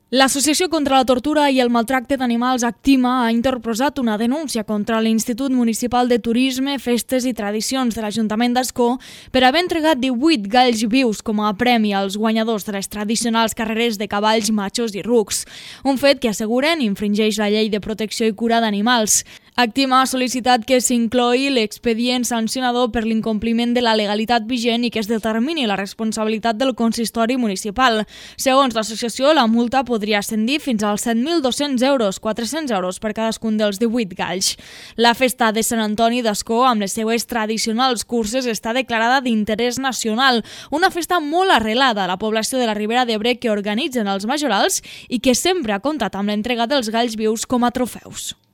L'Associació contra la Tortura i el Maltracte d'Animals Actima ha interposat una denúncia contra l'Institut Municipal de Turisme, Festes i Tradicions de l'Ajuntament d'Ascó per haver entregat 18 galls vius com a premi als guanyadors de les tradicionals carreres de cavalls, machos i rucs, un fet que asseguren infringeix la Llei de Protecció i Cura d'Animals. Actima ha sol·licitat que s'inclogui l'expedient sancionador per l'incompliment de la legalitat vigent i que es determini la responsabilitat del consistori municipal. Segons l'associació, la multa podria ascendir fins als 7.200 euros, 400 euros per cadascun dels 18 galls. La festa de Sant Antoni d'Ascó, amb les seues tradicionals curses, està declarada d'interès nacional, una festa molt arrelada a la població de la Ribera d'Ebre que organitzen els majorals i que sempre ha comptat amb l'entrega dels galls vius com a trofeus.